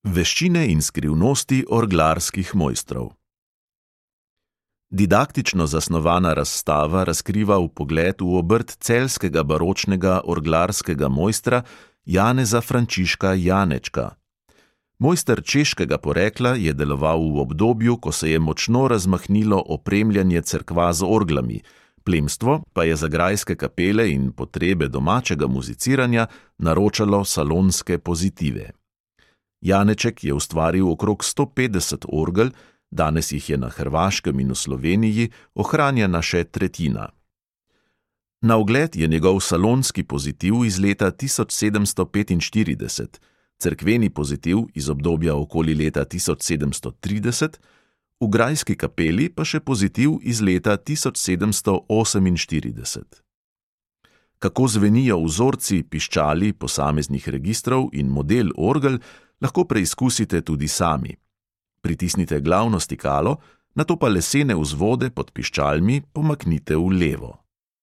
Veščine in skrivnosti orglarskih mojstrov. Didaktično zasnovana razstava razkriva vpogled v obrt celjskega baročnega orglarskega mojstra Janeza Frančiška Janečka. Mojster češkega porekla je deloval v obdobju, ko se je močno razmahnilo opremljanje cerkva z orglami, plemstvo pa je za grajske kapele in potrebe domačega muziciranja naročalo salonske pozitive. Janeček je ustvaril okrog 150 orgel, danes jih je na Hrvaškem in v Sloveniji ohranjena še tretjina. Na ogled je njegov salonski pozitiv iz leta 1745, cerkveni pozitiv iz obdobja okoli leta 1730, v grajski kapeli pa še pozitiv iz leta 1748. Kako zvenijo vzorci piščali posameznih registrov in model orgel, lahko preizkusite tudi sami. Pritisnite glavno stikalo, nato pa lesene vzvode pod piščalmi pomaknite v levo.